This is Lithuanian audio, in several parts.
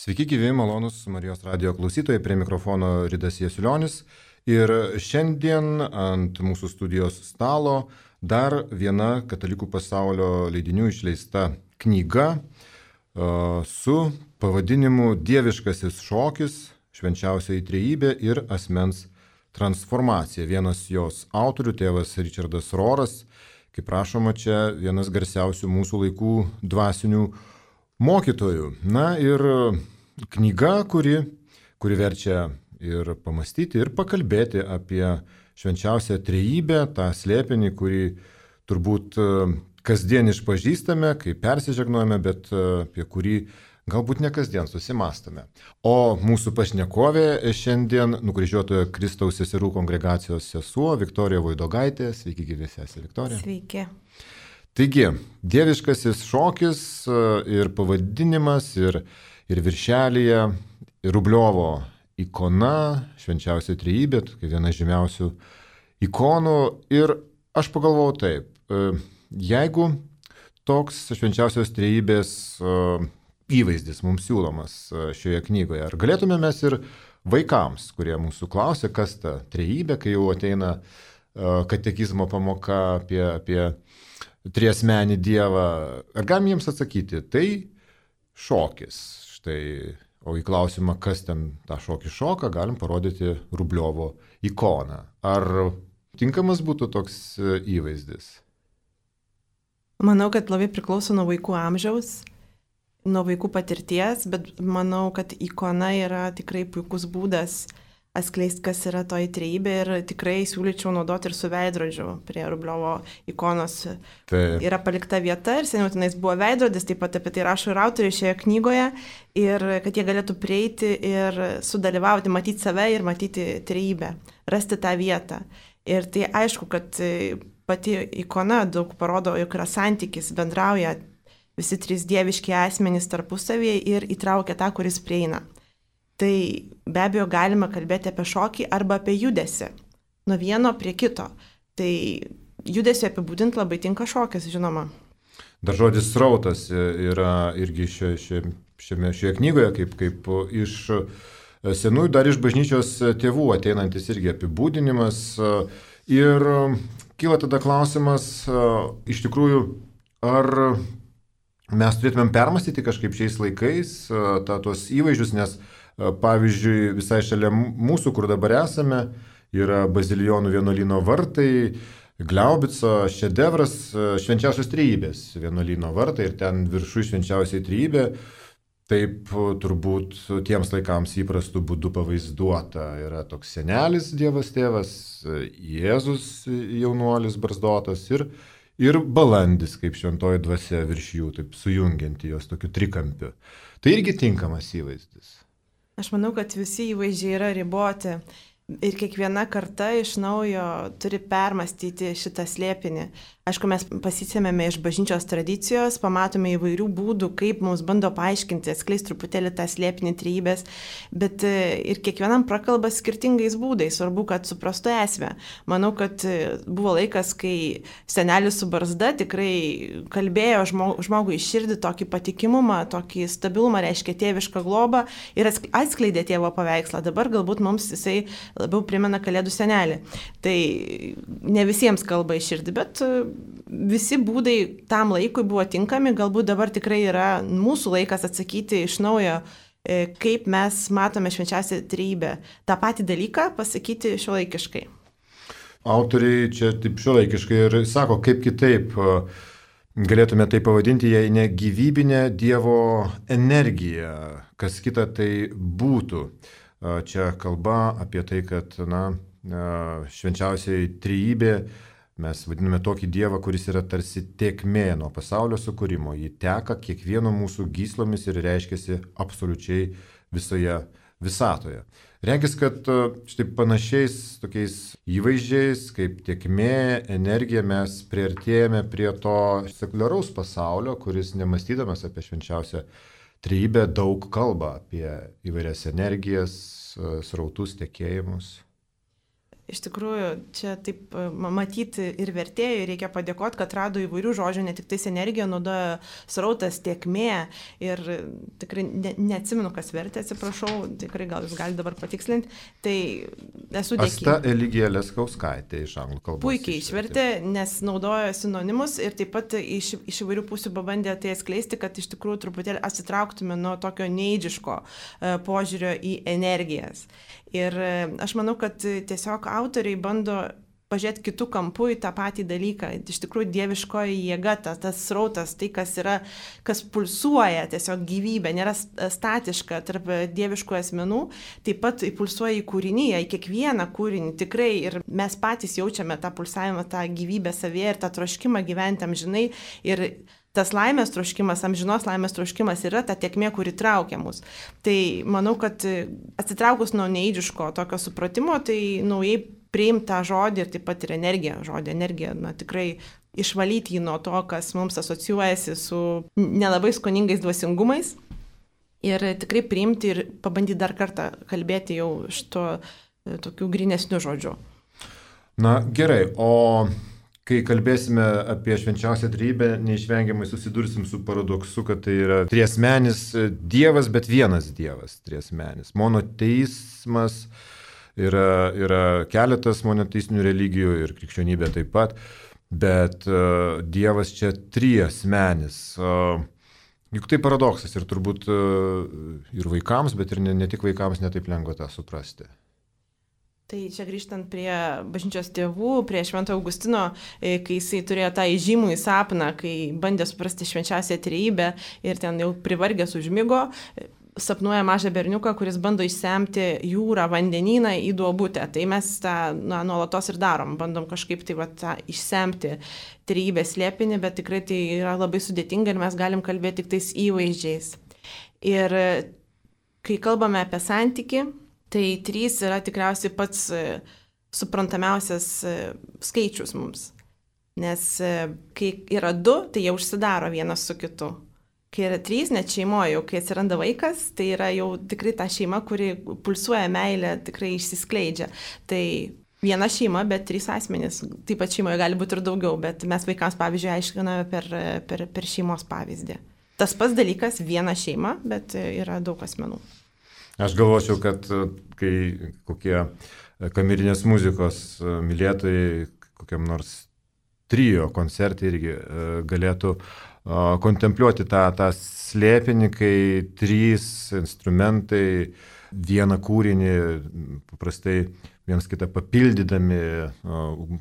Sveiki, gyvi, malonus Marijos radijo klausytojai, prie mikrofono Ridas Jasiulionis. Ir šiandien ant mūsų studijos stalo dar viena Katalikų pasaulio leidinių išleista knyga su pavadinimu Dieviškasis šokis, švenčiausioji trejybė ir asmens transformacija. Vienas jos autorių, tėvas Richardas Rohras, kaip rašoma čia, vienas garsiausių mūsų laikų dvasinių mokytojų. Na ir knyga, kuri verčia ir pamastyti, ir pakalbėti apie švenčiausią trejybę, tą slėpinį, kurį turbūt kasdien išpažįstame, kai persižegnojame, bet apie kurį galbūt ne kasdien susimastame. O mūsų pašnekovė šiandien Nukryžiuotojo Kristaus seserų kongregacijos sesuo Viktorija Voidogaitė. Sveiki, gyvi sesė Viktorija. Sveiki. Taigi, dieviškasis šokis ir pavadinimas, ir viršelyje Rubliovo ikona, švenčiausia trejybė, kaip viena žymiausių ikonų. Ir aš pagalvojau taip, jeigu toks švenčiausios trejybės įvaizdis mums siūlomas šioje knygoje, ar galėtume mes ir vaikams, kurie mūsų klausia, kas ta trejybė, kai jau ateina katekizmo pamoka apie triasmenį Dievą, ar galim jiems atsakyti, tai šokis. Štai, o į klausimą, kas ten tą šokį šoka, galim parodyti Rubliovo ikoną. Ar tinkamas būtų toks įvaizdis? Manau, kad labai priklauso nuo vaikų amžiaus, nuo vaikų patirties, bet manau, kad ikona yra tikrai puikus būdas atskleisti, kas yra toji trejybė, ir tikrai siūlyčiau naudoti ir su veidrodžiu prie Rubliovo ikonos. Taip. Yra palikta vieta ir seniau tenais buvo veidrodis, taip pat apie tai rašo ir autoriai šioje knygoje, ir kad jie galėtų prieiti ir sudalyvauti, matyti save ir matyti trejybę, rasti tą vietą. Ir tai aišku, kad pati ikona daug parodo, jog yra santykis, bendrauja visi trys dieviški asmenys tarpusavyje ir įtraukia tą, kuris prieina. Tai be abejo galima kalbėti apie šokį arba apie judesį, nuo vieno prie kito. Tai judesį apibūdinti labai tinka šokis, žinoma. Dar žodis srautas yra irgi šioje knygoje, kaip iš senųjų, dar iš bažnyčios tėvų ateinantis irgi apibūdinimas. Ir kyla tada klausimas, iš tikrųjų, ar mes turėtumėm permastyti kažkaip šiais laikais tuos įvaizdžius, nes pavyzdžiui, visai šalia mūsų, kur dabar esame, yra Bazilijonų vienuolyno vartai, Gliaubico šedevras švenčiausios trejybės vienuolyno vartai, ir ten viršų švenčiausiai trejybė, taip turbūt tiems laikams įprastų būdų pavaizduota. Yra toks senelis, Dievas tėvas, Jėzus jaunuolis barzdotas ir balandis, kaip šventoji dvasia virš jų, taip sujungianti jos tokiu trikampiu. Tai irgi tinkamas įvaizdis. Aš manau, kad visi įvaizdžiai yra riboti ir kiekviena karta iš naujo turi permastyti šitą slėpinį. Aišku, mes pasisėmėme iš bažnyčios tradicijos, pamatome įvairių būdų, kaip mums bando paaiškinti, atskleisti truputėlį tą slėpinį trejybės, bet ir kiekvienam prakalba skirtingais būdais, svarbu, kad suprastų esmę. Manau, kad buvo laikas, kai senelis su barzda tikrai kalbėjo žmogui į širdį tokį patikimumą, tokį stabilumą, reiškia tėvišką globą ir atskleidė tėvo paveikslą. Dabar galbūt mums jisai labiau primena Kalėdų senelį. Tai ne visiems kalba į širdį, bet visi būdai tam laikui buvo tinkami, galbūt dabar tikrai yra mūsų laikas atsakyti iš naujo, kaip mes matome švenčiausią trejybę. Ta patį dalyką pasakyti šiuolaikiškai. Autoriai čia taip šiuolaikiškai ir sako, kaip kitaip galėtume tai pavadinti, jei ne gyvybinė Dievo energija, kas kita tai būtų. Čia kalba apie tai, kad švenčiausiai trejybė, mes vadiname tokį Dievą, kuris yra tarsi tėkmė nuo pasaulio sukūrimo. Ji teka kiekvieno mūsų gyslomis ir reiškiasi absoliučiai visoje visatoje. Regis, kad štai panašiais tokiais įvaizdžiais, kaip tėkmė, energija, mes priartėjame prie to sekuliaraus pasaulio, kuris nemastydamas apie švenčiausią trejybę daug kalba apie įvairias energijas, srautus, tekėjimus. Iš tikrųjų, čia taip matyti ir vertėjui reikia padėkoti, kad rado įvairių žodžių, ne tik tais energija, naudoja srautas, tėkmė ir tikrai neatsimenu, kas vertė, atsiprašau, tikrai gal jūs galite dabar patikslinti. Tai esu dėkinga. Asta Eligija Leskauskaitė iš anglų kalbos. Puikiai išvertė, nes naudoja sinonimus ir taip pat iš įvairių pusių pabandė tai atskleisti, kad iš tikrųjų truputėlį atsitrauktume nuo tokio neidžiško požiūrio į energijas. Ir aš manau, kad tiesiog autoriai bando pažiūrėti kitų kampų į tą patį dalyką. Iš tikrųjų, dieviškoji jėga, tas srautas, tai kas yra, kas pulsuoja, tiesiog gyvybė, nėra statiška tarp dieviškų asmenų, taip pat pulsuoja į kūrinyje, į kiekvieną kūrinį tikrai ir mes patys jaučiame tą pulsavimą, tą gyvybę savyje ir tą troškimą gyventi amžinai ir tas laimės troškimas, amžinos laimės troškimas yra ta tėkmė, kuri traukia mus. Tai manau, kad atsitraukus nuo neidžiško tokio supratimo, tai naujai priimti tą žodį ir taip pat ir energiją. Žodį energiją, tikrai išvalyti jį nuo to, kas mums asocijuojasi su nelabai skoningais dvasingumais. Ir tikrai priimti ir pabandyti dar kartą kalbėti jau šito tokių grynesnių žodžių. Na gerai, o kai kalbėsime apie švenčiausią trejybę, neišvengiamai susidursim su paradoksu, kad tai yra triasmenis Dievas, bet vienas Dievas triasmenis. Monoteizmas yra keletas monoteistinių religijų ir krikščionybė taip pat, bet Dievas čia triasmenis. Juk tai paradoksas ir turbūt ir vaikams, bet ir ne tik vaikams netaip lengva tą suprasti. Tai čia grįžtant prie bažnyčios tėvų, prie Švento Augustino, kai jisai turėjo tą įžymų į sapną, kai bandė suprasti švenčiausią trejybę ir ten jau privargęs užmigo, sapnuoja mažą berniuką, kuris bando išsemti jūrą, vandenyną į duobutę. Tai mes tą nuolatos ir darom, bandom kažkaip tai tą išsemti trejybės slėpinį, bet tikrai tai yra labai sudėtinga ir mes galim kalbėti tik tais įvaizdžiais. Ir kai kalbame apie santykį, tai 3 yra tikriausiai pats suprantamiausias skaičius mums. Nes kai yra 2, tai jie užsidaro vienas su kitu. Kai yra 3, net šeimoje, jau kai atsiranda vaikas, tai yra jau tikrai ta šeima, kuri pulsuoja meilę, tikrai išsiskleidžia. Tai viena šeima, bet 3 asmenys. Taip pat šeimoje gali būti ir daugiau, bet mes vaikams, pavyzdžiui, aiškiname per šeimos pavyzdį. Tas pats dalykas, viena šeima, bet yra daug asmenų. Aš galvočiau, kad kai kokie kamerinės muzikos mylėtojai kokiam nors trio koncertai irgi galėtų kontempliuoti tą slėpinį, kai 3 instrumentai, vieną kūrinį, paprastai vienas kitą papildydami,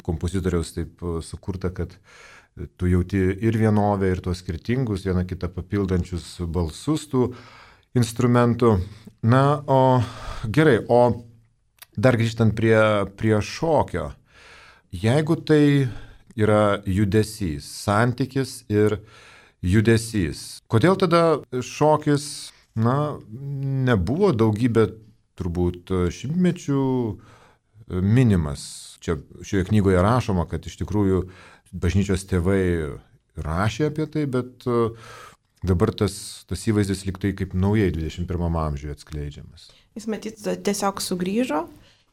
kompozitoriaus taip sukurta, kad tu jauti ir vienovę, ir tuos skirtingus, vieną kitą papildančius balsus tų instrumentų. Na, o gerai, o dar grįžtant prie šokio, jeigu tai yra judesys, santykis ir judesys, kodėl tada šokis, nebuvo daugybę turbūt šimtmečių minimas? Čia šioje knygoje rašoma, kad iš tikrųjų bažnyčios tėvai rašė apie tai, bet dabar tas įvaizdis lyg tai kaip naujai 21 amžiuje atskleidžiamas. Jis matyt tiesiog sugrįžo,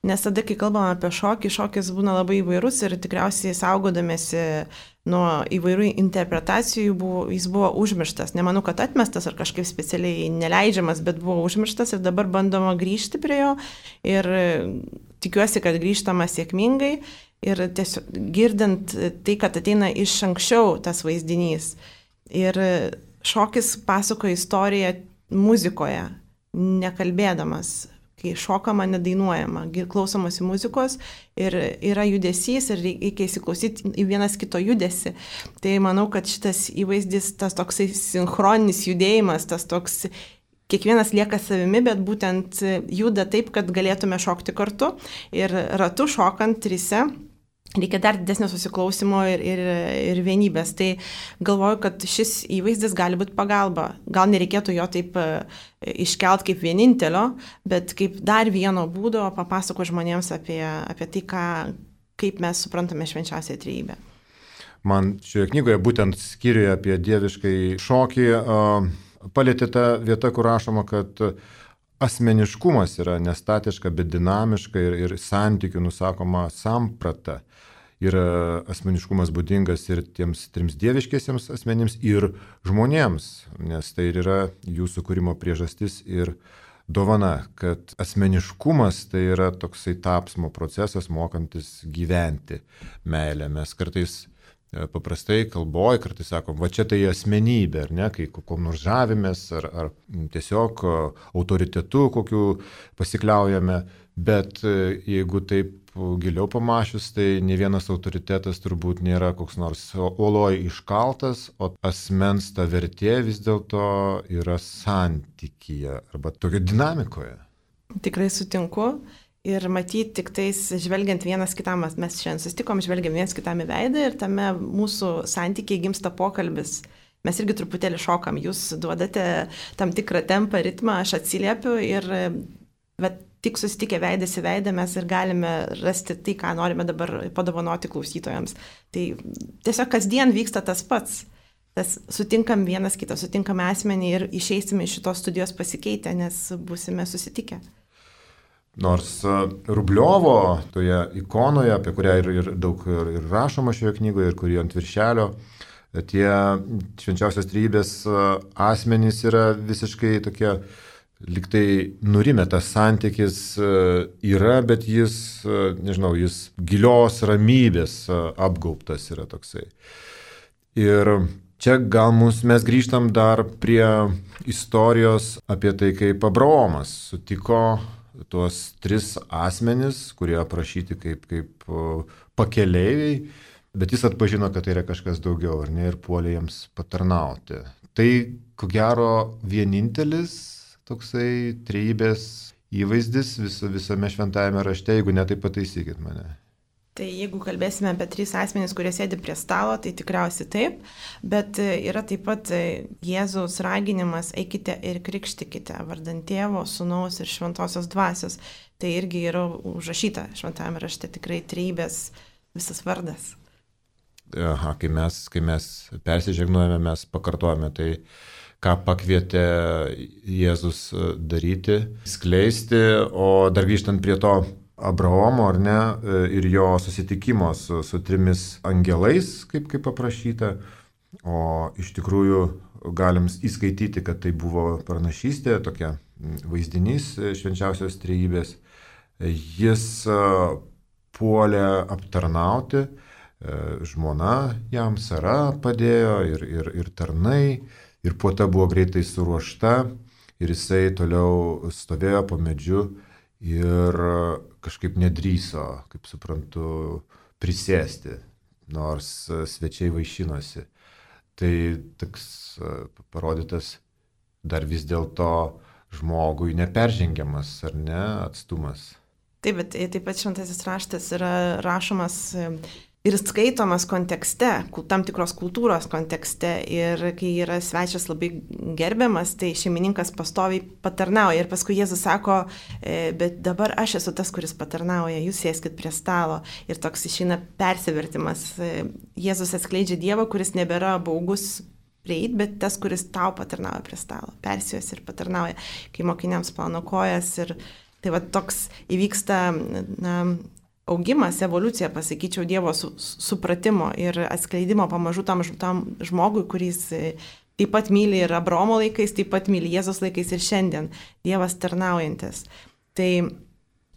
nes tada, kai kalbame apie šokį, šokis būna labai įvairus ir tikriausiai saugodamėsi nuo įvairių interpretacijų jis buvo užmirštas. Nemanau, kad atmestas ar kažkaip specialiai neleidžiamas, bet buvo užmirštas ir dabar bandoma grįžti prie jo ir tikiuosi, kad grįžtama sėkmingai ir tiesiog girdint tai, kad ateina iš anksčiau tas vaizdinys. Ir šokis pasakoja istoriją muzikoje, nekalbėdamas, kai šokama, nedainuojama, klausomasi muzikos ir yra judesys ir reikia įsiklausyti į vienas kito judesį. Tai manau, kad šitas įvaizdis, tas toksai sinchroninis judėjimas, tas toks, kiekvienas lieka savimi, bet būtent juda taip, kad galėtume šokti kartu ir ratu šokant 3. Reikia dar didesnio susiklausimo ir vienybės. Tai galvoju, kad šis įvaizdis gali būti pagalba. Gal nereikėtų jo taip iškelt kaip vienintelio, bet kaip dar vieno būdo papasako žmonėms apie tai, kaip mes suprantame švenčiausią trejybę. Man šioje knygoje būtent skyriuje apie dieviškai šokį palėtė ta vieta, kur rašoma, kad asmeniškumas yra nestatiška, bet dinamiška ir santykių nusakoma samprata. Ir asmeniškumas būdingas ir tiems trims dieviškiesiems asmenims, ir žmonėms, nes tai ir yra jūsų kūrimo priežastis ir dovana, kad asmeniškumas tai yra toksai tapsmo procesas, mokantis gyventi meilę. Mes kartais paprastai kalboje kartais sakom, va čia tai asmenybė, ar ne, kai kokiom nors žavimės, ar tiesiog autoritetu kokiu pasikliaujame, bet jeigu taip giliau pamašius, tai ne vienas autoritetas turbūt nėra koks nors uoloj iškaltas, o asmens ta vertė vis dėlto yra santykyje arba tokio dinamikoje. Tikrai sutinku. Ir matyti tik tais žvelgiant vienas kitam, mes šiandien susitikom, žvelgiam vienas kitam į veidą ir tame mūsų santykiai gimsta pokalbis. Mes irgi truputėlį šokam, jūs duodate tam tikrą tempą, ritmą, aš atsiliepiu ir tik susitikę veidas į veidą mes ir galime rasti tai, ką norime dabar padovanoti klausytojams. Tai tiesiog kasdien vyksta tas pats. Sutinkam vienas kitą, sutinkame asmenį ir išeisime iš šitos studijos pasikeitę, nes būsime susitikę. Nors Rubliovo toje ikonoje, apie kurią ir daug ir rašoma šioje knygoje, ir kuri ant viršelio, tie švenčiausios trejybės asmenys yra visiškai tokie, liktai nurimę, tas santykis yra, bet jis, nežinau, jis gilios ramybės apgaubtas yra toksai. Ir čia gal mes grįžtam dar prie istorijos apie tai, kaip Abraomas sutiko tuos tris asmenis, kurie aprašyti kaip pakeleiviai, bet jis atpažino, kad tai yra kažkas daugiau, ar ne, ir puolė jiems patarnauti. Tai, ko gero, vienintelis toksai trejybės įvaizdis visame šventajame rašte, jeigu ne, tai pataisykit mane. Tai jeigu kalbėsime apie tris asmenys, kurie sėdi prie stalo, tai tikriausiai taip, bet yra taip pat Jėzaus raginimas eikite ir krikštikite vardant Tėvo, Sūnaus ir Šventosios Dvasios. Tai irgi yra užrašyta šventajame rašte, tikrai trejybės visas vardas. Aha, kai mes persižegnuojame, mes pakartojame tai, ką pakvietė Jėzus daryti, skleisti, o dar grįžtant prie to Abraomo, ar ne, ir jo susitikimo su trimis angelais, kaip aprašyta, o iš tikrųjų galim įskaityti, kad tai buvo pranašystė, tokia vaizdinys švenčiausios trejybės. Jis puolė aptarnauti, žmona jam Sara padėjo ir tarnai, ir puota buvo greitai suruošta, ir jisai toliau stovėjo po medžiu ir kažkaip nedrįso, kaip suprantu, prisėsti, nors svečiai vaišinosi. Tai toks parodytas dar vis dėlto žmogui neperžengiamas, ar ne, atstumas. Taip, bet taip pat šventasis raštas yra rašomas ir skaitomas kontekste, tam tikros kultūros kontekste, ir kai yra svečias labai gerbiamas, tai šeimininkas pastoviai patarnauja ir paskui Jėzus sako, bet dabar aš esu tas, kuris patarnauja, jūs sėskit prie stalo, ir toks išeina persivertimas. Jėzus atskleidžia Dievą, kuris nebėra baugus prieit, bet tas, kuris tau patarnauja prie stalo, persijos ir patarnauja, kai mokiniams plauna kojas, ir tai va toks įvyksta augimas, evoliucija, pasakyčiau, Dievo supratimo ir atskleidimo pamažu tam žmogui, kuris taip pat myli ir Abraomo laikais, taip pat myli Jėzos laikais ir šiandien, Dievas tarnaujantis. Tai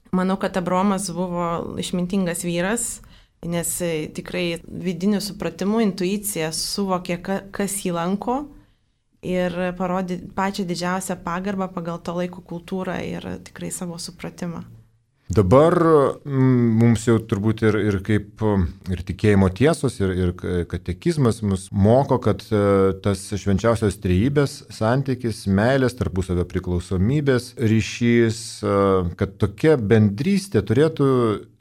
manau, kad Abraomas buvo išmintingas vyras, nes tikrai vidiniu supratimu, intuicija suvokė, kas jį lanko ir parodė pačią didžiausią pagarbą pagal to laiko kultūrą ir tikrai savo supratimą. Dabar mums jau turbūt ir kaip ir tikėjimo tiesos, ir katekizmas mus moko, kad tas švenčiausios trejybės santykis, meilės, tarpusavio priklausomybės ryšys, kad tokia bendrystė turėtų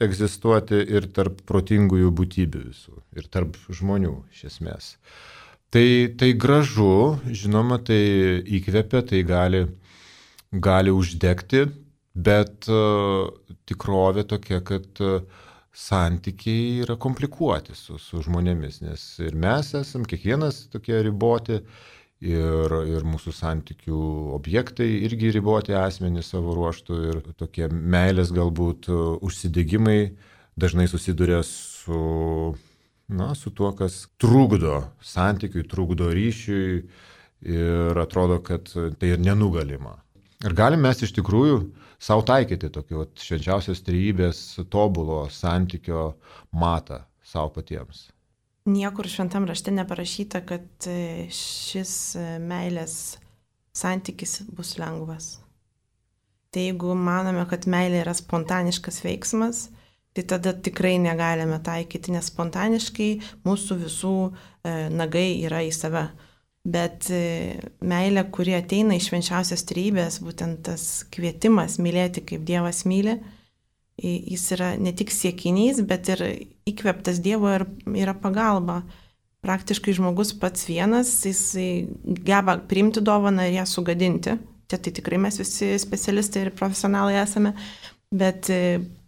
egzistuoti ir tarp protingųjų būtybių visų, ir tarp žmonių iš esmės. Tai gražu, žinoma, tai įkvepia, tai gali uždegti, bet tikrovė tokia, kad santykiai yra komplikuoti su žmonėmis, nes ir mes esam, kiekvienas tokie riboti, ir mūsų santykių objektai irgi riboti asmenys savo ruoštų ir tokie meilės galbūt užsidegimai dažnai susiduria su tuo, kas trukdo santykiui, trukdo ryšiui ir atrodo, kad tai ir nenugalima. Ir galim mes iš tikrųjų savo taikyti tokį švenčiausios trejybės tobulo santykio matą savo patiems. Niekur šventam rašte neparašyta, kad šis meilės santykis bus lengvas. Tai jeigu manome, kad meilė yra spontaniškas veiksmas, tai tada tikrai negalime taikyti, nes spontaniškai mūsų visų nagai yra į save. Bet meilė, kuri ateina iš švenčiausios trejybės, būtent tas kvietimas mylėti kaip Dievas myli, jis yra ne tik siekinys, bet ir įkvėptas Dievo ir yra pagalba. Praktiškai žmogus pats vienas, jis geba priimti dovaną ir ją sugadinti. Tai tikrai mes visi specialistai ir profesionalai esame, bet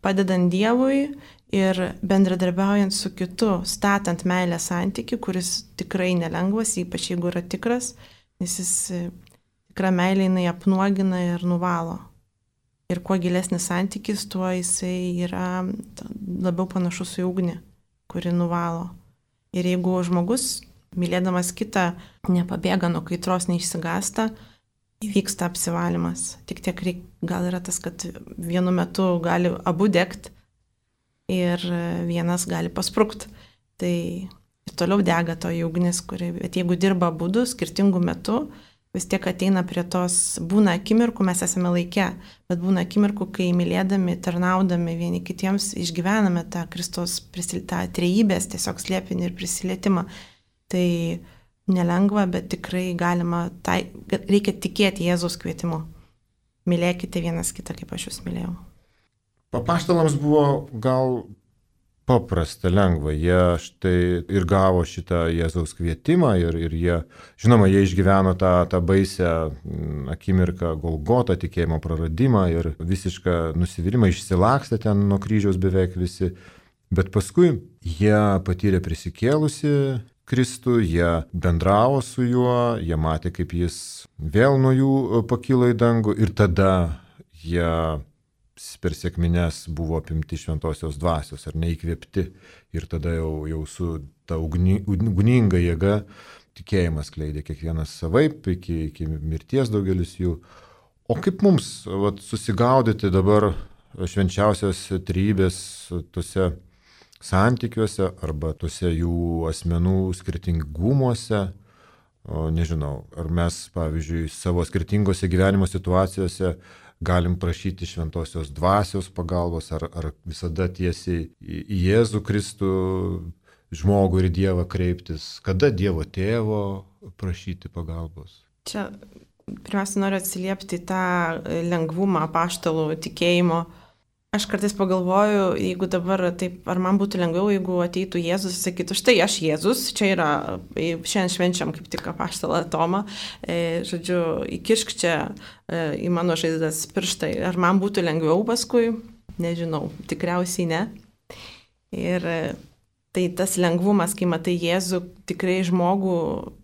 padedant Dievui ir bendradarbiaujant su kitu, statant meilę santykių, kuris tikrai nelengvas, ypač jeigu yra tikras, nes jis tikra meilė jinai apnuogina ir nuvalo. Ir kuo gilesnis santykis, tuo jisai yra labiau panašus į ugnį, kuri nuvalo. Ir jeigu žmogus, mylėdamas kitą, nepabėga nuo kaitros, neišsigąsta, įvyksta apsivalymas. Tik tiek gal yra tas, kad vienu metu gali abu degti ir vienas gali pasprukti. Tai ir toliau dega toji ugnis, bet jeigu dirba abudu skirtingų metų, vis tiek ateina prie tos, būna akimirkų, mes esame laike, bet būna akimirkų, kai mylėdami, tarnaudami vieni kitiems išgyvename tą Kristaus tą trejybės tiesiog slėpinį ir prisilietimą. Tai nelengva, bet tikrai galima, reikia tikėti Jėzaus kvietimu. Mylėkite vienas kitą, kaip aš jūs mylėjau. Apaštalams buvo gal paprasta, lengva. Jie štai ir gavo šitą Jėzaus kvietimą ir jie, žinoma, jie išgyveno tą baisę akimirką Golgotą, tikėjimo praradimą ir visišką nusivylimą, išsilakstė ten nuo kryžiaus beveik visi. Bet paskui jie patyrė prisikėlusi Kristų, jie bendravo su juo, jie matė, kaip jis vėl nuo jų pakilo į dangų ir tada jie per sekmines buvo apimti šventosios dvasios ar neįkvėpti ir tada jau su ta ugninga jėga tikėjimas kleidė kiekvienas savaip iki mirties daugelis jų. O kaip mums susigaudyti dabar švenčiausios trejybės tose santykiuose arba tose jų asmenų skirtingumuose? Nežinau, ar mes, pavyzdžiui, savo skirtingose gyvenimo situacijose galim prašyti šventosios dvasios pagalbos, ar visada tiesiai į Jėzų Kristų žmogų ir Dievą kreiptis, kada Dievo tėvo prašyti pagalbos? Čia pirmiausia noriu atsiliepti tą lengvumą apaštalų tikėjimo. Aš kartais pagalvoju, jeigu dabar taip, ar man būtų lengviau, jeigu ateitų Jėzus ir sakytų, štai aš Jėzus, čia yra, šiandien švenčiam kaip tik apaštalą Tomą, žodžiu, įkišk čia į mano žaizdas pirštai, ar man būtų lengviau paskui, nežinau, tikriausiai ne. Ir tai tas lengvumas, kai matai Jėzų tikrai žmogų,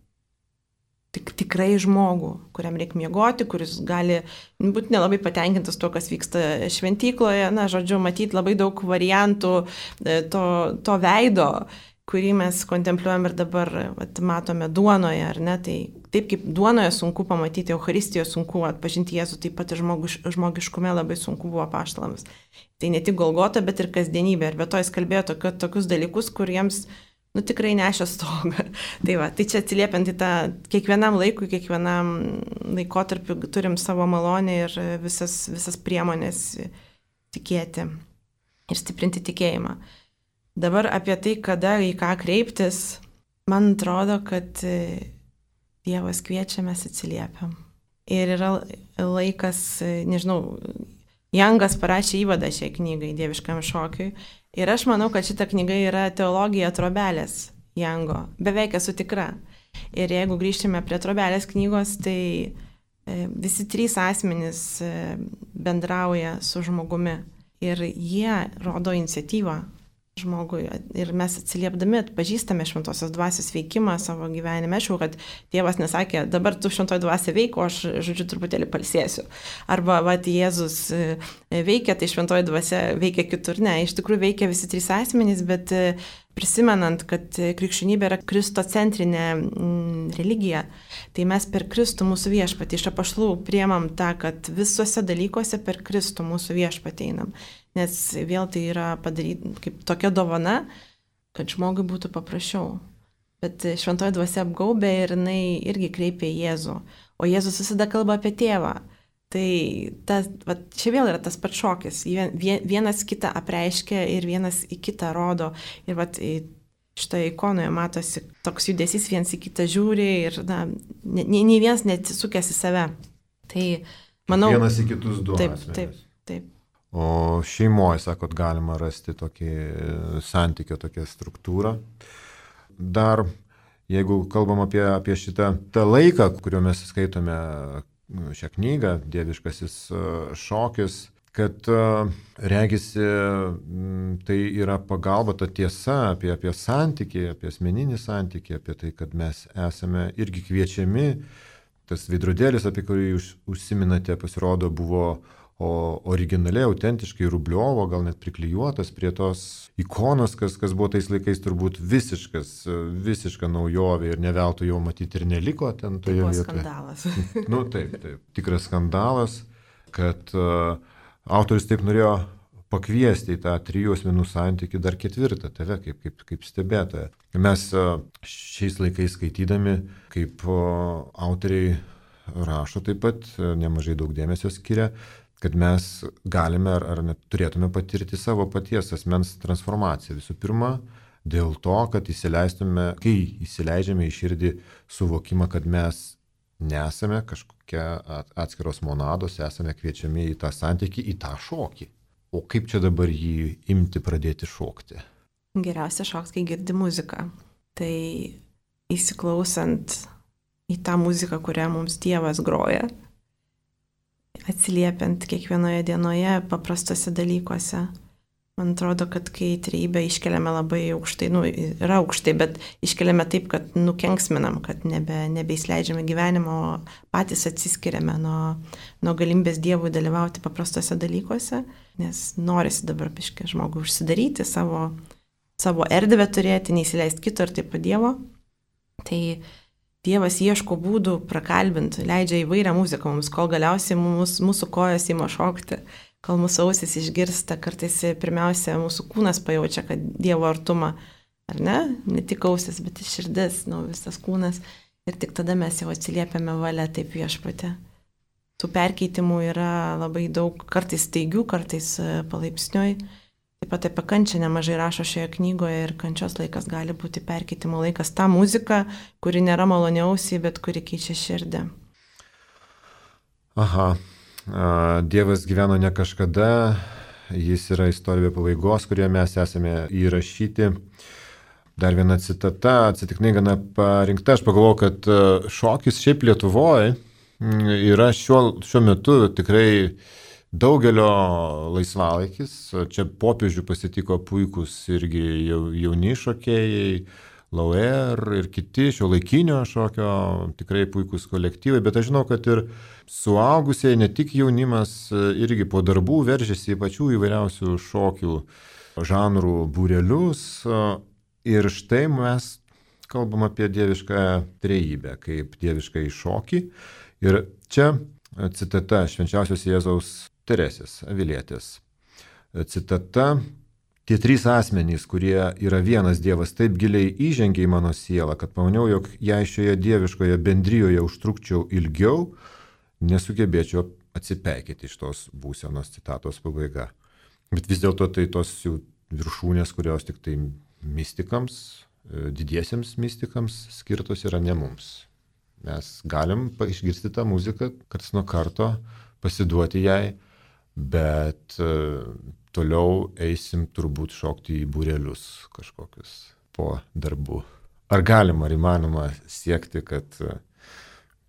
kuriam reikia miegoti, kuris gali būti nelabai patenkintas tuo, kas vyksta šventykloje, žodžiu, matyti labai daug variantų to veido, kurį mes kontempliuojam ir dabar matome duonoje, ar ne? Tai taip kaip duonoje sunku pamatyti, Eucharistijoje sunku atpažinti Jėzų, taip pat ir žmogiškume labai sunku buvo apaštalams. Tai ne tik Golgota, bet ir kasdienybė. Ir be to jis kalbėjo tokius dalykus, kuriems tikrai nešia stogą. Tai čia atsiliepiant į tą kiekvienam laikui, kiekvienam laikotarpiu turim savo malonę ir visas priemonės tikėti ir stiprinti tikėjimą. Dabar apie tai, kada į ką kreiptis, man atrodo, kad Dievas kviečia, mes atsiliepiam. Ir yra laikas, nežinau, Jangas parašė įvadą šiai knygai, Dieviškam šokiui. Ir aš manau, kad šita knyga yra teologija Trobelės Jango. Beveik esu tikra. Ir jeigu grįžtume prie Trobelės knygos, tai visi trys asmenys bendrauja su žmogumi. Ir jie rodo iniciatyvą. žmogui ir mes atsiliepdami atpažįstame šventosios dvasios veikimą savo gyvenime. Aišku, kad tėvas nesakė, dabar tu šventoji dvasia veik, o aš, žodžiu, truputėlį palsėsiu. Arba, Jėzus veikia, tai šventoji dvasia veikia kitur. Ne, iš tikrųjų veikia visi trys asmenys, bet prisimenant, kad krikščionybė yra kristocentrinė religija, tai mes per Kristų mūsų viešpatį iš apaštalų priemam tą, kad visuose dalykuose per Kristų mūsų viešpatį einam. Nes vėl tai yra padaryti kaip tokia dovana, kad žmogui būtų paprasčiau. Bet šventoji dvasia apgaubė ir jinai irgi kreipia į Jėzų. O Jėzus visada kalba apie tėvą. Tai čia vėl yra tas pats šokis. Vienas kitą apreiškia ir vienas į kitą rodo. Ir šitoje ikonoje matosi toks judesys, viens į kitą žiūri ir nei vienas neatsisukęs į save. Tai manau... Vienas į kitus du asmenys. Taip. O šeimoje, sakot, galima rasti tokį santykio, tokią struktūrą. Dar, jeigu kalbam apie šitą tą laiką, kuriuo mes skaitome šią knygą, Dieviškasis šokis, kad regisi tai yra pagalba, ta tiesa apie santykį, apie asmeninį santykį, apie tai, kad mes esame irgi kviečiami. Tas veidrodėlis, apie kurį jūs užsiminate, pasirodo, buvo originaliai, autentiškai Rubliovo, gal net priklijuotas prie tos ikonos, kas buvo tais laikais turbūt visiška naujovė ir neveltui jau matyti ir neliko ten toje vietoje. Skandalas. Taip, tikras skandalas, kad autorius taip norėjo pakviesti į tą 3 asmenų santykį dar 4, tave kaip stebėtoją. Mes šiais laikais skaitydami, kaip autoriai rašo taip pat, nemažai daug dėmesio skiria, kad mes galime ar net turėtume patirti savo paties asmens transformaciją. Visų pirma, dėl to, kad kai įsileidžiame į širdį suvokimą, kad mes nesame kažkokia atskiros monados, esame kviečiami į tą santykį, į tą šokį. O kaip čia dabar jį imti, pradėti šokti? Geriausia šoks, kai girdi muziką. Tai įsiklausant į tą muziką, kurią mums Dievas groja, atsiliepiant kiekvienoje dienoje paprastose dalykuose. Man atrodo, kad kai trejybę iškeliame labai aukštai, yra aukštai, bet iškeliame taip, kad nukenksminam, kad nebeįsileidžiame gyvenimo, patys atsiskiriame nuo galimybės Dievui dalyvauti paprastose dalykuose, nes norisi dabar biškį žmogui užsidaryti, savo erdvę turėti, neįsileisti kito ir taip pat Dievo. Tai Dievas ieško būdų prakalbinti, leidžia įvairią muziką mums, kol galiausiai mūsų kojos ima šokti, kol mūsų ausis išgirsta, kartais pirmiausia mūsų kūnas pajaučia, kad Dievo artumą, ar ne? Ne tik ausis, bet ir širdis, visas kūnas. Ir tik tada mes jau atsiliepiame valia taip viešpatį. Tų perkeitimų yra labai daug, kartais staigių, kartais palaipsniui. Taip pat apie kančią nemažai rašo šioje knygoje ir kančios laikas gali būti perkeitimo laikas. Ta muzika, kuri nėra maloniausiai, bet kuri keičia širdį. Aha, Dievas gyveno ne kažkada, jis yra istorija pabaigos, kurioje mes esame įrašyti. Dar viena citata, atsitiknai gana parinkta, aš pagalvojau, kad šokis šiaip Lietuvoje yra šiuo metu tikrai daugelio laisvalaikis. Čia popiežių pasitiko puikus irgi jauni šokėjai, Lauer ir kiti šiuolaikinio šokio tikrai puikus kolektyvai, bet aš žinau, kad ir suaugusiai, ne tik jaunimas, irgi po darbų veržiasi į pačių įvairiausių šokių žanrų būrelius. Ir štai mes kalbam apie dievišką trejybę, kaip dievišką šokį. Ir čia citata švenčiausios Jėzaus Teresės Avilietės. Citata: tie 3 asmenys, kurie yra vienas Dievas, taip giliai įžengė į mano sielą, kad pamaniau, jog jei šioje dieviškoje bendrijoje užtrukčiau ilgiau, nesugebėčiau atsipeikėti iš tos būsenos. Citatos pabaiga. Bet vis dėlto tai tos jų viršūnės, kurios tik tai mistikams, didiesiems mistikams skirtos yra, ne mums. Mes galim išgirsti tą muziką, karts nuo karto, pasiduoti jai, bet toliau eisim turbūt šokti į būrelius kažkokius po darbų. Ar galima, ar įmanoma siekti, kad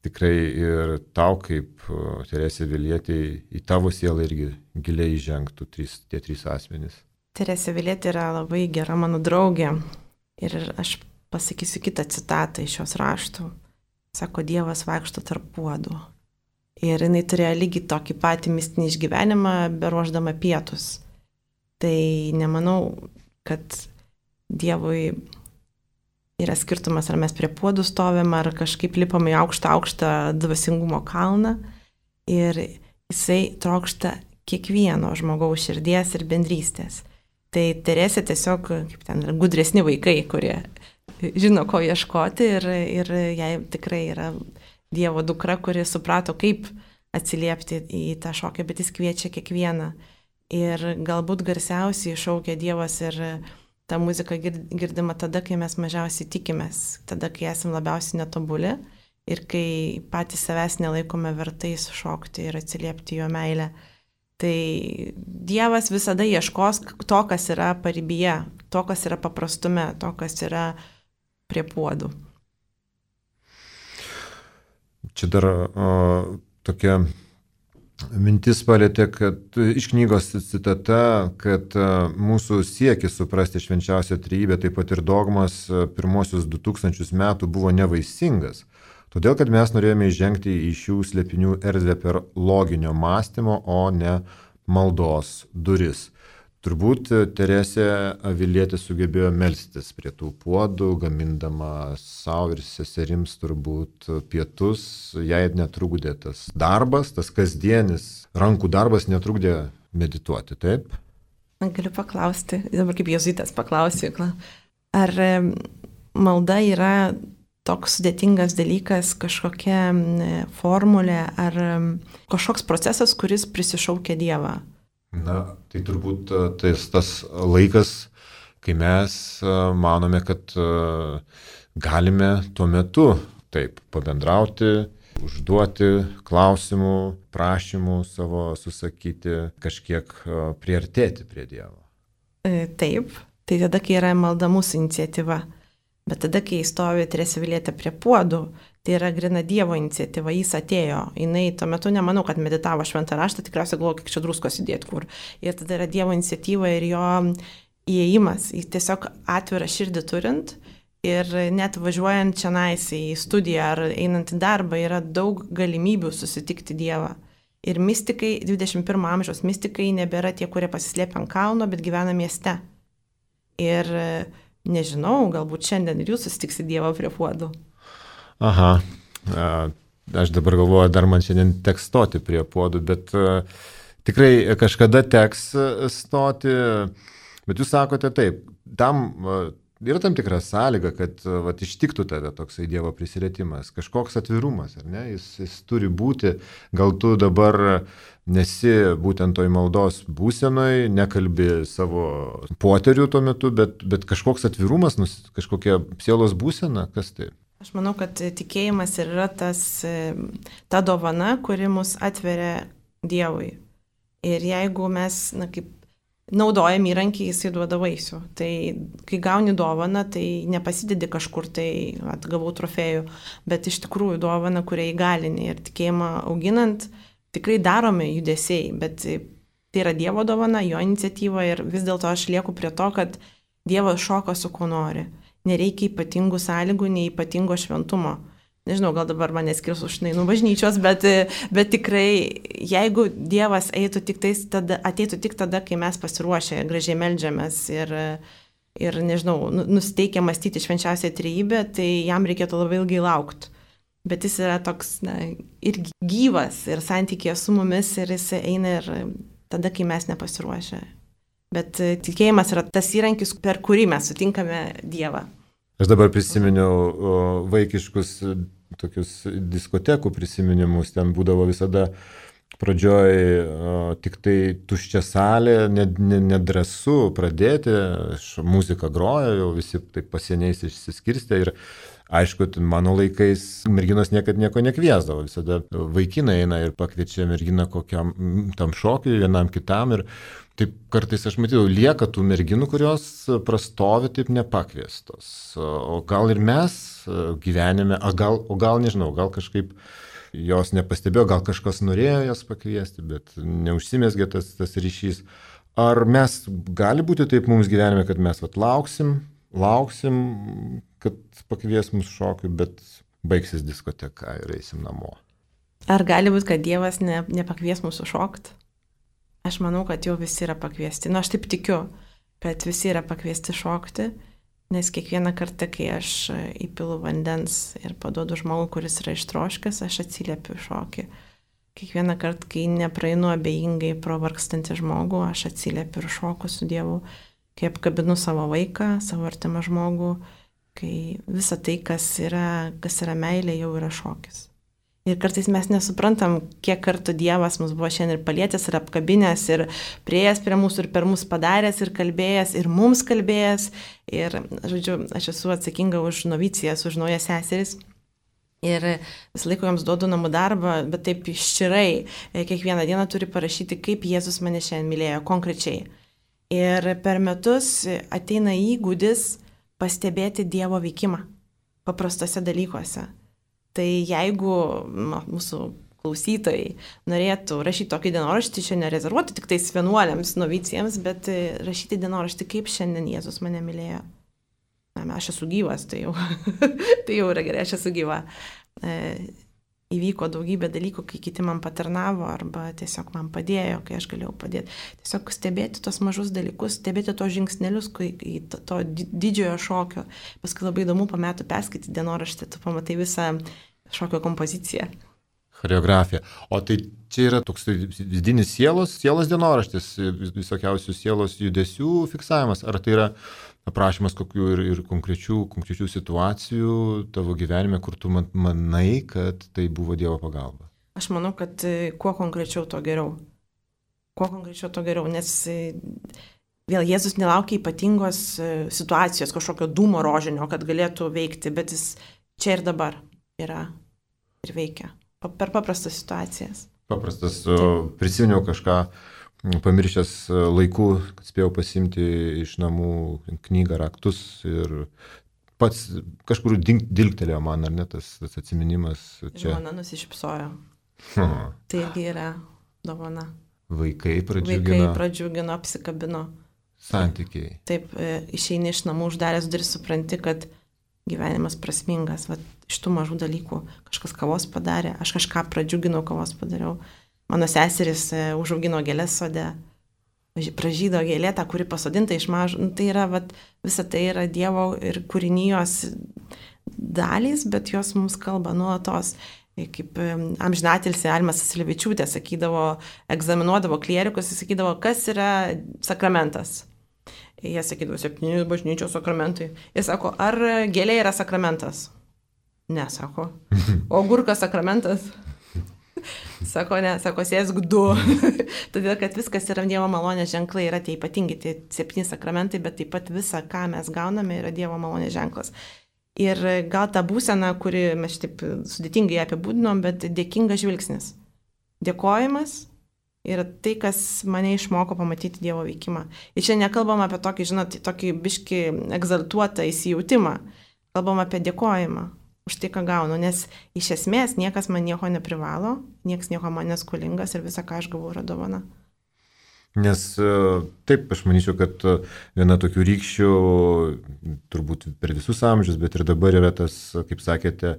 tikrai ir tau, kaip Teresė Avilietė, į tavo sielą irgi giliai įžengtų tie 3 asmenys? Teresė Avilietė yra labai gera mano draugė ir aš pasakysiu kitą citatą iš jos raštų. Sako, Dievas vaikšto tarp puodų. Ir jinai turėjo lygiai tokį patį mistinį išgyvenimą, beruoždama pietus. Tai nemanau, kad Dievui yra skirtumas, ar mes prie puodų stovim, ar kažkaip lipam į aukštą dvasingumo kalną. Ir jisai trokšta kiekvieno žmogaus širdies ir bendrystės. Tai Teresė tiesiog, kaip ten, gudresni vaikai, kurie žino, ko ieškoti ir jai tikrai yra Dievo dukra, kuri suprato, kaip atsiliepti į tą šokį, bet jis kviečia kiekvieną. Ir galbūt garsiausiai šaukia Dievas ir ta muzika girdima tada, kai mes mažiausiai tikimės, tada, kai esame labiausiai netobuli ir kai patys savęs nelaikome vertais šokti ir atsiliepti jo meilę. Tai Dievas visada ieškos to, kas yra paribyje, to, kas yra paprastume, to, kas yra prie puodų. Čia dar tokia mintis palėtė, kad iš knygos citata, kad mūsų siekis suprasti švenčiausią trejybę, taip pat ir dogmas pirmosius 2000 metų buvo nevaisingas. Todėl, kad mes norėjome įžengti į šių slėpinių erdvę per loginio mąstymo, o ne maldos duris. Turbūt Teresė Avilietė sugebėjo melstis prie tų puodų, gamindama savo ir seserims turbūt pietus. Jai netrukdė tas darbas, tas kasdienis rankų darbas netrukdė medituoti, taip? Galiu paklausti, dabar kaip jėzuitas paklausiu, ar malda yra toks sudėtingas dalykas, kažkokia formulė ar kažkoks procesas, kuris prisišaukia Dievą? Na, tai turbūt tas laikas, kai mes manome, kad galime tuo metu taip pabendrauti, užduoti klausimų, prašymų savo susakyti, kažkiek priartėti prie Dievo. Taip, tai tada, kai yra malda mūsų iniciatyva. Bet tada, kai stovi Teresė Avilietė prie puodų, tai yra grina Dievo iniciatyva, jis atėjo. Jinai tuo metu nemanau, kad meditavo šventą raštą, tikriausiai galvoju, kiek čia druskos įdėti kur. Ir tada yra Dievo iniciatyva ir jo įėjimas, jis tiesiog atvirą širdį turint ir net važiuojant čionais į studiją ar einant į darbą yra daug galimybių susitikti Dievą. Ir mistikai, 21 amžiaus mistikai nebėra tie, kurie pasislėpia ant kalno, bet gyvena mieste. Ir nežinau, galbūt šiandien ir jūs susitiksit Dievą prie puodų. Aha, aš dabar galvoju, dar man šiandien teks stoti prie puodų, bet tikrai kažkada teks stoti, bet jūs sakote taip, tam yra tam tikra sąlyga, kad ištiktų tave toksai Dievo prisilietimas, kažkoks atvirumas, ar ne? Jis turi būti, gal tu dabar nesi būtent toj maldos būsenoj, nekalbi savo poterių tuo metu, bet kažkoks atvirumas, kažkokia sielos būsena, kas tai? Aš manau, kad tikėjimas yra ta dovana, kuri mus atveria Dievui. Ir jeigu mes, kaip naudojam įrankį, jisai duoda vaisių. Tai kai gauni dovaną, tai nepasidedi kažkur, tai atgavau trofėjų, bet iš tikrųjų dovana, kurią įgalini ir tikėjimą auginant, tikrai daromi judesiai, bet tai yra Dievo dovana, jo iniciatyva ir vis dėlto aš lieku prie to, kad Dievas šoka su kuo nori. Nereikia ypatingų sąlygų, nei ypatingo šventumo. Nežinau, gal dabar mane skirs už bažnyčios, bet tikrai, jeigu Dievas ateitų tik tada, kai mes pasiruošę ir gražiai meldžiamės ir nežinau, nusiteikę mąstyti švenčiausią trejybę, tai jam reikėtų labai ilgai laukti. Bet jis yra toks ir gyvas, ir santykėje su mumis, ir jis eina ir tada, kai mes nepasiruošę. Bet tikėjimas yra tas įrankis, per kurį mes sutinkame Dievą. Aš dabar prisiminiau vaikiškus tokius diskotekų prisiminimus, ten būdavo visada pradžioj tik tai tuščia salė, nedrąsu pradėti, muzika groja, jau visi taip pasieniais išsiskirstė ir aišku, mano laikais merginos niekad nieko nekviesdavo, visada vaikinai eina ir pakviečia merginą kokiam tam šokiui, vienam kitam ir taip kartais aš matydavau, lieka tų merginų, kurios prastovi taip nepakviestos. O gal ir mes gyvenime, o gal nežinau, gal kažkaip jos nepastebėjo, gal kažkas norėjo jas pakviesti, bet neužsimesgė tas ryšys. Ar mes gali būti taip mums gyvenime, kad mes lauksim, kad pakvies mus šokiui, bet baigsis diskoteka ir eisim namo? Ar gali būti, kad Dievas nepakvies mūsų šokti? Aš manau, kad jau visi yra pakviesti. Aš taip tikiu, kad visi yra pakviesti šokti, nes kiekvieną kartą, kai aš įpilu vandens ir paduodu žmogų, kuris yra ištroškęs, aš atsiliepiu šokį. Kiekvieną kartą, kai nepraeinu abejingai pro vargstantį žmogų, aš atsiliepiu ir šoku su Dievu, kai apkabinu savo vaiką, savo artimą žmogų, kai visa tai, kas yra meilė, jau yra šokis. Ir kartais mes nesuprantam, kiek kartų Dievas mus buvo šiandien ir palietęs, ir apkabinęs, ir prieėjęs prie mūsų, ir per mus padaręs, ir kalbėjęs, ir mums kalbėjęs. Ir, žodžiu, aš esu atsakinga už novicijas, už naujas seseris. Ir visą laiką joms duodu namų darbą, bet taip iščirai. Kiekvieną dieną turi parašyti, kaip Jėzus mane šiandien mylėjo konkrečiai. Ir per metus ateina įgūdis pastebėti Dievo veikimą paprastose dalykuose. Tai jeigu mūsų klausytojai norėtų rašyti tokį dienoraštį, čia nerezervuoti tik tais vienuoliams, novicijams, bet rašyti dienoraštį, kaip šiandien Jėzus mane mylėjo. Aš esu gyvas, tai jau, tai jau yra gerai, aš esu gyva. Įvyko daugybė dalykų, kai kiti man patarnavo arba tiesiog man padėjo, kai aš galėjau padėti. Tiesiog stebėti tos mažus dalykus, stebėti tos žingsnelius, į to didžiojo šokio. Paskui labai įdomu po metų perskaityti dienoraštį, tu pamatai visą šokio kompoziciją. Choreografija. O tai čia yra toks vidinis sielos dienoraštis, visokiausių sielos judesių fiksavimas, ar tai yra aprašymas kokių ir konkrečių situacijų tavo gyvenime, kur tu manai, kad tai buvo Dievo pagalba? Aš manau, kad kuo konkrečiau, to geriau. Nes vėl Jėzus nelaukia ypatingos situacijos, kažkokio dūmo rožinio, kad galėtų veikti, bet jis čia ir dabar yra ir veikia. Per paprastas situacijas. Prisiminiau kažką, pamiršęs laikų, kad spėjau pasimti iš namų knygą, raktus ir pats kažkur dilgtelėjo man, ar ne, tas atsiminimas čia. Dovana nusišypsojo. Tai irgi yra dovana. Vaikai pradžiugino, apsikabino. Santykiai. Taip, išeini iš namų, uždaręs duris, supranti, kad gyvenimas prasmingas. Vat, iš tų mažų dalykų kažkas kavos padarė, aš kažką pradžiuginau, kavos padariau. Mano seseris užaugino gėlės sode, pražydo gėlė, tą, kuri pasodinta iš mažų. Tai yra, vat, visa tai yra Dievo ir kūrinijos dalys, bet jos mums kalba nuolatos. Kaip amžinatilsį Almas Aslevičiūtė sakydavo, egzaminuodavo klierikus, jis sakydavo, kas yra sakramentas. Jie sakydavo, 7 bažnyčios sakramentai. Jis sako, ar gėlė yra sakramentas? Ne, sako. O agurkas sakramentas? Sako, ne, sako, sėsk 2. Todėl, kad viskas yra Dievo malonės ženklai, yra tie ypatingi, tie 7 sakramentai, bet taip pat visa, ką mes gauname, yra Dievo malonės ženklas. Ir gal ta būsena, kuri mes taip sudėtingai apibūdinom, bet dėkingas žvilgsnis. Dėkojimas yra tai, kas mane išmoko pamatyti Dievo veikimą. Ir čia nekalbam apie tokį, žinot, tokį biškį egzaltuotą įsijautimą. Kalbam apie dėkojimą už tai, ką gaunu, nes iš esmės niekas man nieko neprivalo, niekas nieko man neskolingas ir visa, ką aš gavau, yra dovana. Nes taip, aš manyčiau, kad viena tokių rykščių, turbūt per visus amžius, bet ir dabar yra tas, kaip sakėte,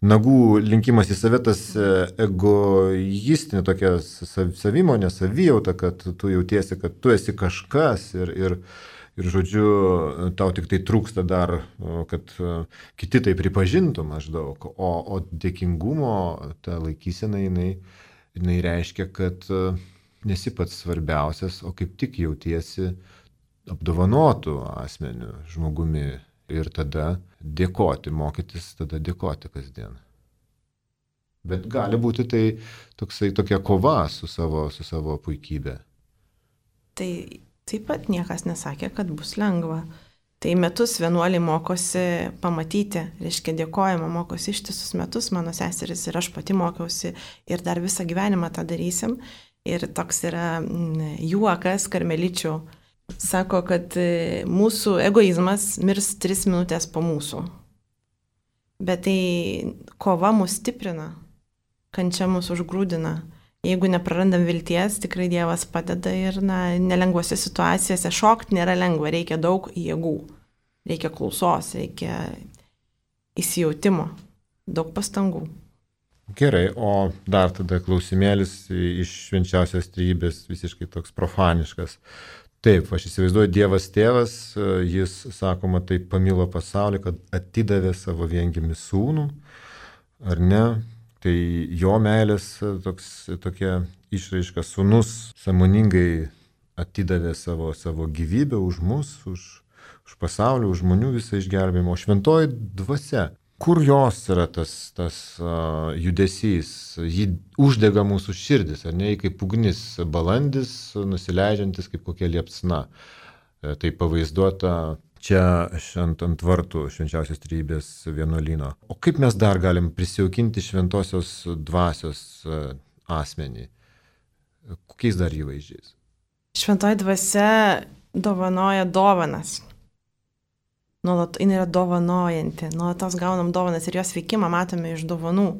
nagų linkimas į save, tas egoistinė tokia savimonė, savijauta, kad tu jautiesi, kad tu esi kažkas ir žodžiu, tau tik tai trūksta dar, kad kiti tai pripažintų maždaug, o dėkingumo ta laikysena, jinai reiškia, kad nesi pats svarbiausias, o kaip tik jautiesi apdovanotų asmeniu, žmogumi ir tada dėkoti, mokytis tada dėkoti kasdien. Bet gali būti tai tokia kova su savo puikybė. Tai taip pat niekas nesakė, kad bus lengva. Tai metus vienuoliai mokosi pamatyti, reiškia dėkojimą, mokosi ištisus metus, mano seseris ir aš pati mokiausi ir dar visą gyvenimą tą darysim. Ir toks yra juokas karmeličių. Sako, kad mūsų egoizmas mirs 3 minutės po mūsų. Bet tai kova mus stiprina, kančia mus užgrūdina. jeigu neprarandam vilties, tikrai Dievas padeda ir nelengvose situacijose šokti nėra lengva, reikia daug jėgų, reikia klausos, reikia įsijautimo, daug pastangų. Gerai, o dar tada klausimėlis iš švenčiausios trejybės visiškai toks profaniškas. Taip, aš įsivaizduoju, Dievas tėvas, jis, sakoma, taip pamilo pasaulį, kad atidavė savo viengimį sūnų, ar ne? Tai jo meilės tokia išraiška, sūnus sąmoningai atidavė savo gyvybę už mus, už pasaulį, už žmonių visą išgelbėjimą. O šventoji dvasia, kur jos yra tas judesys, jį uždega mūsų širdis, ar ne, kaip ugnis, balandis, nusileidžiantis kaip kokia liepsna. Tai pavaizduota čia ant vartų švenčiausios trejybės vienuolyno. O kaip mes dar galim prisijaukinti šventosios dvasios asmenį? Kokiais dar įvaizdžiais? Šventoji dvasia dovanoja dovanas. Jin yra dovanojanti, nuolatos gaunam dovanas ir jos veikimą matome iš dovanų.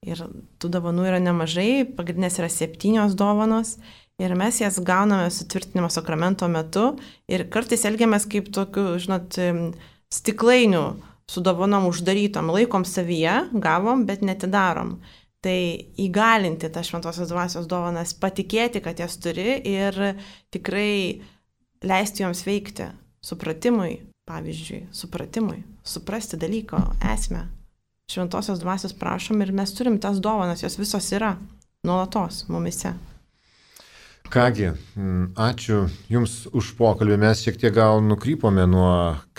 Ir tų dovanų yra nemažai, pagrindinės yra 7 dovanos ir mes jas gauname sutvirtinimo sakramento metu ir kartais elgiamės kaip tokiu, stiklainių su dovanom uždarytom, laikom savyje, gavom, bet netidarom. Tai įgalinti tą šventosios dvasios dovanas, patikėti, kad jas turi ir tikrai leisti joms veikti supratimui. Pavyzdžiui, suprasti dalyko esmę. Šventosios dvasios prašom ir mes turim tas dovanas, jos visos yra nuolatos mumise. Kągi, ačiū Jums už pokalbį. Mes šiek tiek gal nukrypome nuo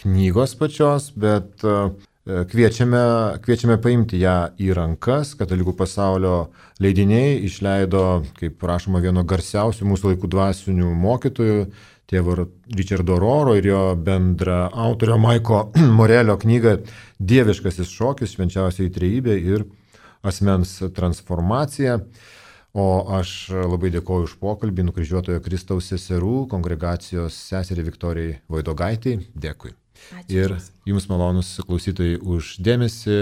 knygos pačios, bet kviečiame paimti ją į rankas. Katalikų pasaulio leidiniai išleido, kaip rašoma, vieno garsiausių mūsų laikų dvasinių mokytojų, tėvo Richardo Rohro ir jo bendra autorio Maiko Morelio knygą Dieviškasis šokis, švenčiausioji trejybė ir asmens transformacija. O aš labai dėkoju už pokalbį Nukryžiuotojo Kristaus seserų kongregacijos seseriai Viktorijai Vaidogaitei. Dėkui. Ačiū. Ir Jums malonus klausytojai už dėmesį.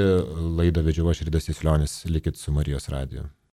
Laidą vedžiau aš, Ridas Jasulionis. Likit su Marijos radiju.